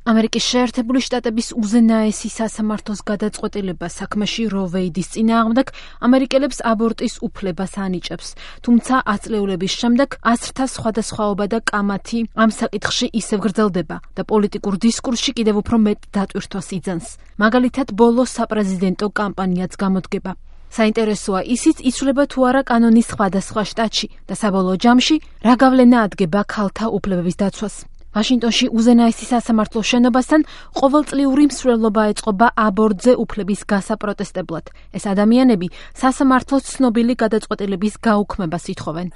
ამერიკის შეერთებული შტატების უზენაესი სასამართლოს გადაწყვეტილება საქმეში რო ვეიდის წინააღმდეგ ამერიკელებს აბორტის უფლებას ანიჭებს, თუმცა აწლეულების შემდეგ აზრთა სხვადასხვაობა და კამათი ამ საკითხში ისევ გრძელდება და პოლიტიკურ დისკურსში კიდევ უფრო მეტ დატვირთვას იძენს. მაგალითად, ბოლო საპრეზიდენტო კამპანიაც გამოდგება. საინტერესოა ისიც, იცვლება თუ არა კანონის სხვადასხვა შტატში და საბოლოო ჯამში რა გავლენა ადგენს ქალთა უფლებების დაცვას. ვაშინგტონში უზენაესი სასამართლოს შენობასთან ყოველწლიური მსვლელობა ეწყობა აბორტზე უფლების გასაპროტესტებლად. ეს ადამიანები სასამართლოს ცნობილი გადაწყვეტილების გაუქმებას ითხოვენ.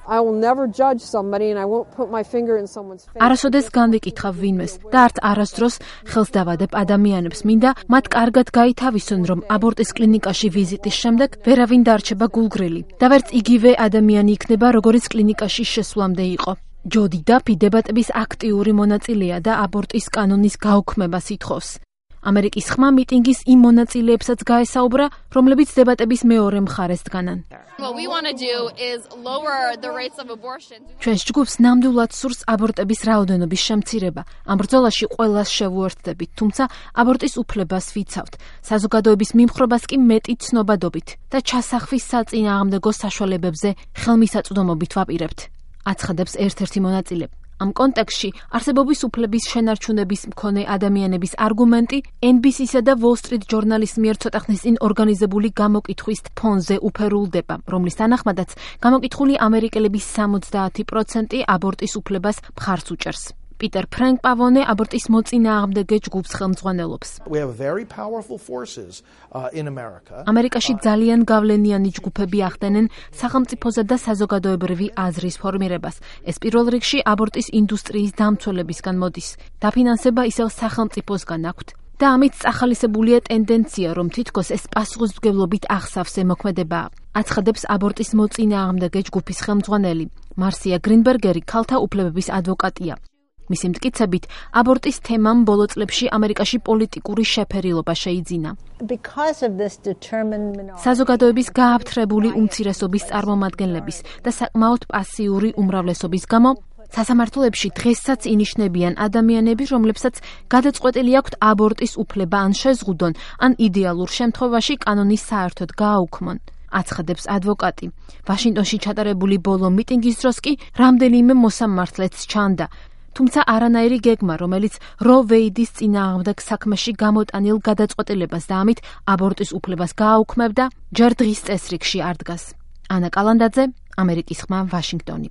არასოდეს განვიკითხავ ვინმეს და არც არასდროს ხელს დავადებ ადამიანებს. მინდა მათ კარგად გაითავისონ, რომ აბორტის კლინიკაში ვიზიტის შემდეგ ვერავინ დარჩება გულგრილი და ვერც იგივე ადამიანი იქნება, როგორც კლინიკაში შესვლამდე იყო. ჯოდი დაფი დებატების აქტიური მონაწილეა და აბორტის კანონის გაუქმებას ითხოვს. ამერიკის ხმა მიტინგის იმ მონაწილეებსაც გაესაუბრა, რომლებიც დებატების მეორე მხარეს დგანან. ჩვენს ჯგუფს ნამდვილად სურს აბორტების რაოდენობის შემცირება. ამ ბრძოლაში ყველას შევუერთდებით, თუმცა აბორტის უფლებას ვიცავთ. საზოგადოების მიმხრობას კი მეტი ცნობადობით და ჩასახვის საწინააღმდეგო საშუალებებზე ხელმისაწვდომობით ვაპირებთ. აცხადებს ერთ-ერთი მონაწილე. ამ კონტექსტში არსებობის უფლების შენარჩუნების მქონე ადამიანების არგუმენტი NBC-სა და Wall Street Journal-ის მიერ ცოტა ხნის წინ ორგანიზებული გამოკითხვის ფონზე უფერულდება, რომლის თანახმადაც გამოკითხული ამერიკელების 70% აბორტის უფლებას მხარს უჭერს. პიტერ ფრენკ პავონე აბორტის მოწინააღმდეგე ჯგუფს ხელმძღვანელობს. ამერიკაში ძალიან გავლენიანი ჯგუფები ახდენენ სახელმწიფოსა და საზოგადოებრივი აზრის ფორმირებას. ეს პირველ რიგში აბორტის ინდუსტრიის დამცველებისგან მოდის. დაფინანსება ისევ სახელმწიფოსგან აქვთ. და ამით წახალისებულია ტენდენცია, რომ თითქოს ეს პასუხისმგებლობით აღსავსე მოქმედებაა. აცხადებს აბორტის მოწინააღმდეგე ჯგუფის ხელმძღვანელი. მარსია გრინბერგერი ქალთა უფლებების ადვოკატია. მისი მტკიცებით, აბორტის თემამ ბოლო წლებში ამერიკაში პოლიტიკური შეფერილობა შეიძინა. საზოგადოების გააფთრებული უმცირესობის წარმომადგენლების და საკმაოდ პასიური უმრავლესობის გამო სასამართლოებში დღესაც ინიშნებიან ადამიანები, რომლებსაც გადაწყვეტილი აქვთ აბორტის უფლება ან შეზღუდონ, ან იდეალურ შემთხვევაში კანონის საერთოდ გააუქმონ. აცხადებს ადვოკატი. ვაშინგტონში ჩატარებული ბოლო მიტინგის დროს კი რამდენიმე მოსამართლეც ჩანდა. თუმცა არანაირი გეგმა, რომელიც რო ვეიდის წინააღმდეგ საქმეში გამოტანილ გადაწყვეტილებას და ამით აბორტის უფლებას გააუქმებდა, ჯერ დღის წესრიგში არ დგას. ანა კალანდაძე, ამერიკის ხმა, ვაშინგტონი.